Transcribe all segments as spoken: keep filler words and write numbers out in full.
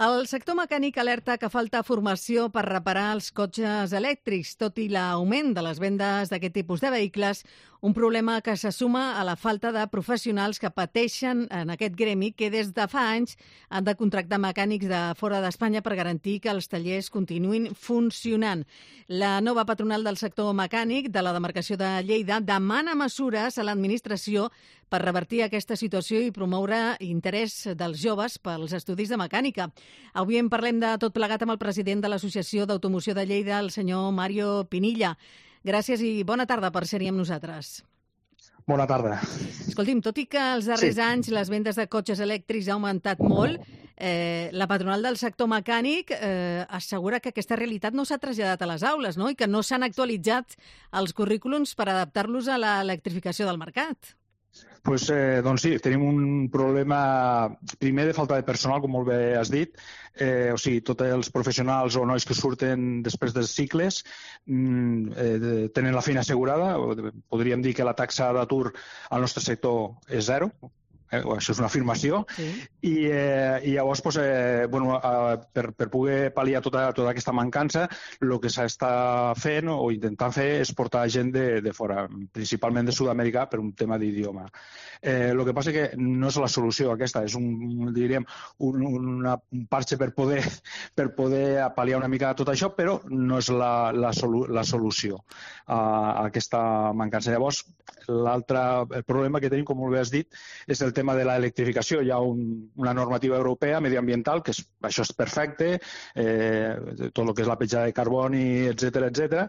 El sector mecànic alerta que falta formació per reparar els cotxes elèctrics, tot i l'augment de les vendes d'aquest tipus de vehicles, un problema que se suma a la falta de professionals que pateixen en aquest gremi que des de fa anys han de contractar mecànics de fora d'Espanya per garantir que els tallers continuïn funcionant. La nova patronal del sector mecànic de la demarcació de Lleida demana mesures a l'administració per revertir aquesta situació i promoure interès dels joves pels estudis de mecànica. Avui en parlem de tot plegat amb el president de l'Associació d'Automoció de Lleida, el senyor Mario Pinilla. Gràcies i bona tarda per ser-hi amb nosaltres. Bona tarda. Escolti'm, tot i que els darrers Sí. anys les vendes de cotxes elèctrics ha augmentat molt, eh, la patronal del sector mecànic eh, assegura que aquesta realitat no s'ha traslladat a les aules, no? I que no s'han actualitzat els currículums per adaptar-los a l'electrificació del mercat. Pues, eh, doncs sí, tenim un problema primer de falta de personal, com molt bé has dit. Eh, o sigui, tots els professionals o nois que surten després dels cicles mm, eh, tenen la feina assegurada. Podríem dir que la taxa d'atur al nostre sector és zero. Eh, això és una afirmació. Sí. I, eh, i llavors, pues, eh, bueno, eh, per, per poder pal·liar tota, tota aquesta mancança, el que s'està fent o intentant fer és portar gent de, de fora, principalment de Sud-amèrica, per un tema d'idioma. Eh, el que passa és que no és la solució aquesta, és un, diríem, un, una, un parche per poder, per poder pal·liar una mica tot això, però no és la, la, solu, la solució a, a aquesta mancança. Llavors, l'altre problema que tenim, com molt bé has dit, és el tema de l'electrificació. Hi ha un, una normativa europea mediambiental, que és, això és perfecte, eh, tot el que és la petjada de carboni, etcètera, etcètera,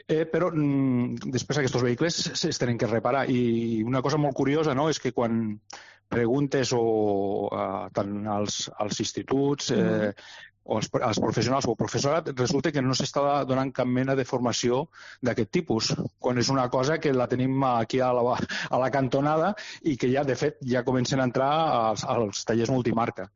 eh, però mm, després aquests vehicles es tenen que reparar. I una cosa molt curiosa, no?, és que quan preguntes o, eh, tant als, als instituts eh, o als, als professionals o professorat, resulta que no s'està donant cap mena de formació d'aquest tipus, quan és una cosa que la tenim aquí a la, a la cantonada i que ja, de fet, ja comencen a entrar als, als tallers multimarca.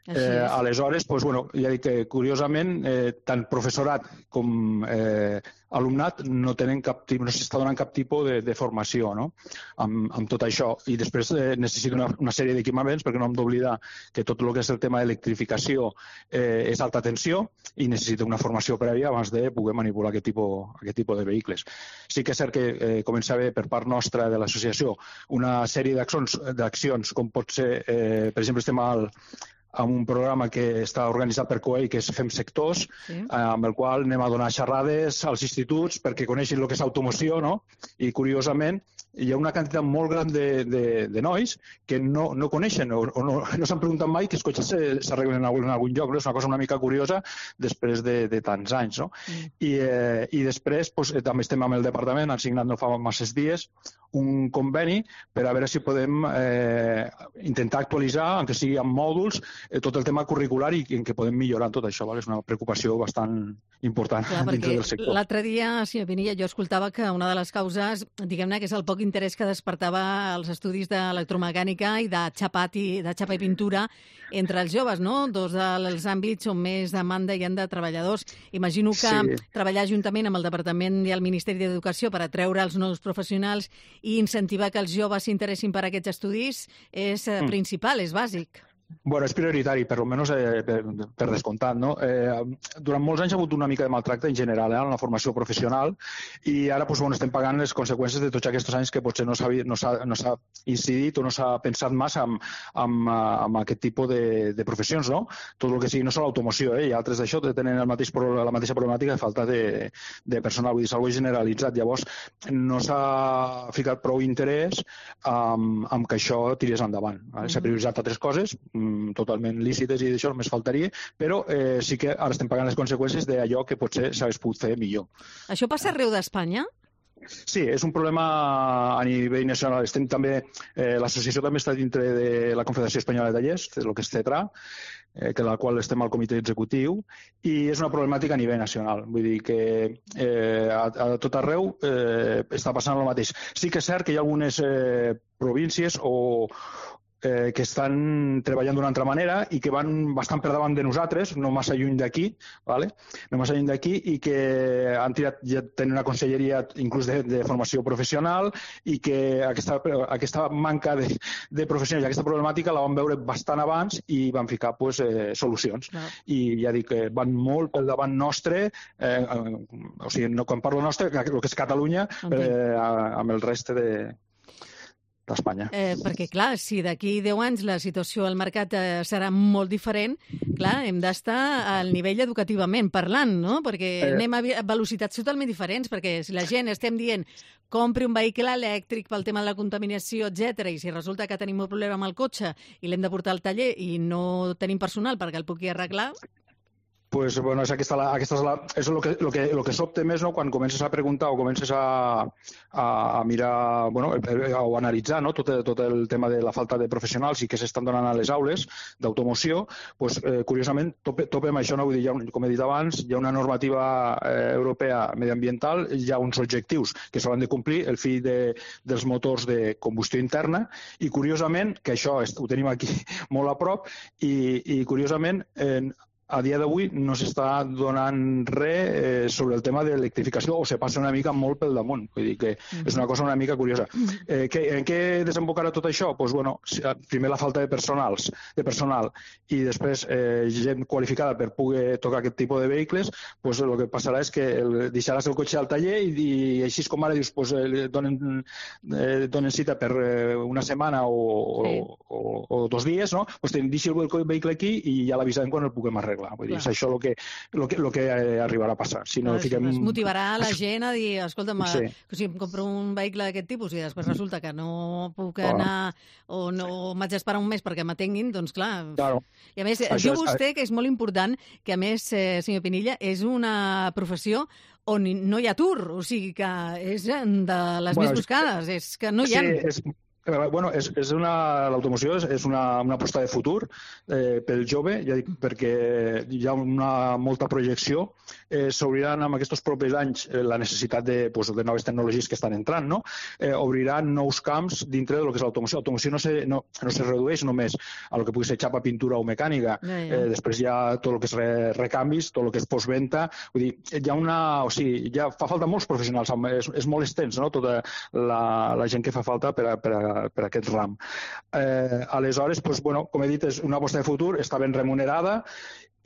Eh, aleshores, doncs, bueno, ja dic que, curiosament, eh, tant professorat com eh, alumnat no tenen cap tipus, no s'està donant cap tipus de, de formació, no?, amb, amb tot això. I després eh, necessita una, una sèrie d'equipaments, perquè no hem d'oblidar que tot el que és el tema d'electrificació eh, és alta tensió i necessita una formació prèvia abans de poder manipular aquest tipus, aquest tipus de vehicles. Sí que és cert que eh, comença a haver per part nostra de l'associació una sèrie d'accions, d'accions com pot ser, eh, per exemple, estem al amb un programa que està organitzat per C O E I, que és Fem Sectors, sí. eh, amb el qual anem a donar xerrades als instituts perquè coneixin el que és automoció, no? I, curiosament, hi ha una quantitat molt gran de, de, de nois que no, no coneixen o, o no, no s'han preguntat mai que els cotxes s'arreglen en, en algun lloc, no? És una cosa una mica curiosa després de, de tants anys, no? Mm. I, eh, I després pues, eh, també estem amb el departament, han signat no fa masses dies un conveni per a veure si podem eh, intentar actualitzar, encara sigui amb mòduls, eh, tot el tema curricular i en què podem millorar tot això. Val? És una preocupació bastant important. Clar, dintre del sector. L'altre dia, senyor Pinilla, jo escoltava que una de les causes, diguem-ne, que és el poc interès que despertava els estudis d'electromecànica i de xapat i, de xapa i pintura entre els joves, no? Dos dels àmbits on més demanda hi ha de treballadors. Imagino que sí. Treballar juntament amb el Departament i el Ministeri d'Educació per atreure els nous professionals i incentivar que els joves s'interessin per aquests estudis és eh, mm. principal, és bàsic. Bueno, és prioritari, per almenys eh, per, per descomptat, no? Eh, durant molts anys ha hagut una mica de maltracte en general eh, en la formació professional i ara pues, bueno, estem pagant les conseqüències de tots aquests anys que potser no s'ha no no incidit o no s'ha pensat massa amb, amb, amb aquest tipus de, de professions, no? Tot el que sigui, no sol l'automoció, eh, i altres d'això tenen el mateix, la mateixa problemàtica de falta de, de personal, vull dir, és algo generalitzat. Llavors, no s'ha ficat prou interès amb, amb que això tirés endavant. Eh? S'ha prioritzat altres coses, totalment lícites i d'això només faltaria, però eh, sí que ara estem pagant les conseqüències d'allò que potser s'hagués pogut fer millor. Això passa arreu d'Espanya? Sí, és un problema a nivell nacional. Estem també, eh, l'associació també està dintre de la Confederació Espanyola de Tallers, el que és CETRA, eh, que la qual estem al comitè executiu, i és una problemàtica a nivell nacional. Vull dir que eh, a, a tot arreu eh, està passant el mateix. Sí que és cert que hi ha algunes eh, províncies o eh, que estan treballant d'una altra manera i que van bastant per davant de nosaltres, no massa lluny d'aquí, ¿vale? no massa lluny d'aquí, i que han tirat, ja tenen una conselleria inclús de, de formació professional, i que aquesta, aquesta manca de, de professionals i aquesta problemàtica la vam veure bastant abans i van ficar pues, eh, solucions. No. I ja dic que van molt pel davant nostre, eh, eh, o sigui, no, quan parlo nostre, el que és Catalunya, eh, amb el reste de d'Espanya. Eh, perquè, clar, si d'aquí deu anys la situació al mercat eh, serà molt diferent, clar, hem d'estar al nivell educativament parlant, no? Perquè eh... anem a velocitats totalment diferents, perquè si la gent estem dient compri un vehicle elèctric pel tema de la contaminació, etcètera, i si resulta que tenim un problema amb el cotxe i l'hem de portar al taller i no tenim personal perquè el pugui arreglar... Pues, bueno, és aquesta, la, aquesta és, la, és el que, lo que, lo que sobte més, no? Quan comences a preguntar o comences a, a, a mirar, bueno, o a analitzar, no? tot, tot el tema de la falta de professionals i que s'estan donant a les aules d'automoció, pues, eh, curiosament tope, topem això, no? Vull dir, hi ha, com he dit abans, hi ha una normativa eh, europea mediambiental, hi ha uns objectius que s'hauran de complir, el fi de, dels motors de combustió interna, i curiosament, que això ho tenim aquí molt a prop, i, i curiosament eh, a dia d'avui no s'està donant res eh, sobre el tema de l'electrificació, o se passa una mica molt pel damunt. Vull dir que és una cosa una mica curiosa. Eh, que, en què desembocarà tot això? Pues, bueno, primer la falta de personals, de personal, i després eh, gent qualificada per poder tocar aquest tipus de vehicles, pues, el que passarà és que el, deixaràs el cotxe al taller i, i així com ara dius, pues, eh, donen, eh, donen cita per eh, una setmana o, sí. o, o, o dos dies, no? Pues, deixi el vehicle aquí i ja l'avisarem quan el puguem arreglar. Vull dir, és això el que, lo que, lo que eh, arribarà a passar. Si no, no, fiquem... Es motivarà la gent a dir, escolta'm, sí. si em compro un vehicle d'aquest tipus i després resulta que no puc anar o no m'haig d'esperar un mes perquè m'atenguin, doncs clar. Claro. I a més, això diu vostè que és molt important, que a més, eh, senyor Pinilla, és una professió on no hi ha atur, o sigui que és de les bueno, més buscades, és que no hi ha... Sí, és... Bueno, és, és una, l'automoció és, és una, una aposta de futur eh, pel jove, ja dic, perquè hi ha una molta projecció. Eh, S'obriran en aquests propers anys eh, la necessitat de, pues, de noves tecnologies que estan entrant, no? Eh, obriran nous camps dintre del que és l'automoció. L'automoció no, se, no, no se redueix només a lo que pugui ser xapa, pintura o mecànica. Ja, ja. Eh, després hi ha tot el que és re, recanvis, tot el que és postventa. Vull dir, hi ha una... O sigui, ja fa falta molts professionals, és, és molt extens, no? Tota la, la gent que fa falta per a, per a per aquest ram. Eh, aleshores, pues, bueno, com he dit, és una aposta de futur, està ben remunerada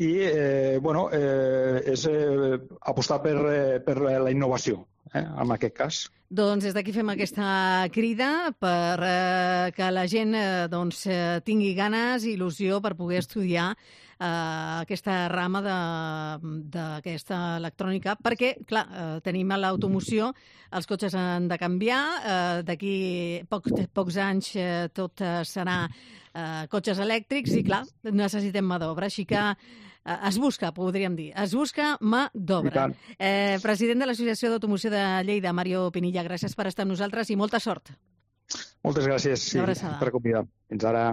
i eh, bueno, eh, és eh, apostar per, eh, per la innovació, eh, en aquest cas. Doncs des d'aquí fem aquesta crida per eh, que la gent eh, doncs, eh, tingui ganes i il·lusió per poder estudiar eh, aquesta rama d'aquesta electrònica, perquè, clar, eh, tenim a l'automoció, els cotxes han de canviar, eh, d'aquí poc, pocs anys eh, tot eh, serà eh, cotxes elèctrics i, clar, necessitem mà d'obra, així que es busca, podríem dir. Es busca mà d'obra. Eh, president de l'Associació d'Automoció de Lleida, Mario Pinilla, gràcies per estar amb nosaltres i molta sort. Moltes gràcies sí, per convidar. Fins ara.